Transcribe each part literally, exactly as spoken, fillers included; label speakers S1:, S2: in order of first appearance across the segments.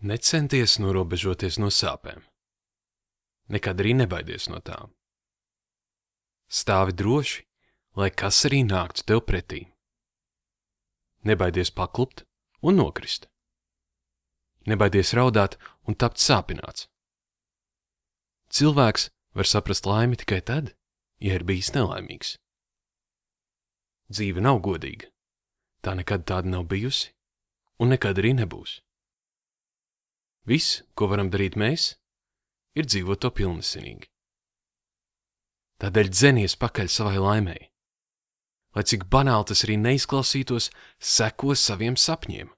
S1: Necenties norobežoties no sāpēm. Nekad arī nebaidies no tām. Stāvi droši, lai kas arī nāktu tev pretī. Nebaidies paklupt un nokrist. Nebaidies raudāt un tapt sāpināts. Cilvēks var saprast laimi tikai tad, ja ir bijis nelaimīgs. Dzīve nav godīga. Tā nekad tāda nav bijusi un nekad arī nebūs. Viss, ko varam darīt mēs, ir dzīvot to pilnesinīgi. Tādēļ dzenies pakaļ savai laimei. Lai cik banāli tas arī neizklausītos, seko saviem sapņiem.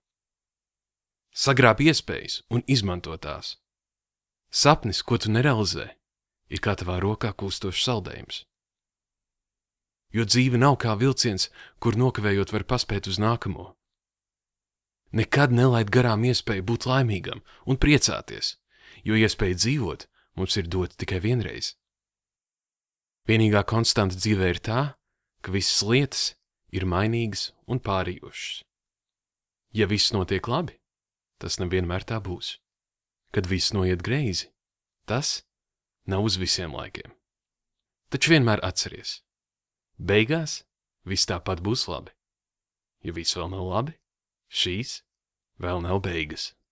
S1: Sagrāb iespējas un izmanto tās. Sapnis, ko tu nerealizē, ir kā tavā rokā kūstošs saldējums. Jo dzīve nav kā vilciens, kur nokavējot var paspēt uz nākamo. Nekad nelaid garām iespēju būt laimīgam un priecāties, jo iespēja dzīvot mums ir dota tikai vienreiz. Vienīgā konstanta dzīvē ir tā, ka visas lietas ir mainīgas un pārījošas. Ja viss notiek labi, tas nevienmēr tā būs. Kad viss noiet greizi, tas nav uz visiem laikiem. Taču vienmēr atceries, beigās viss tāpat būs labi. Ja viss vēl nav labi, šīs vēl nav beigas.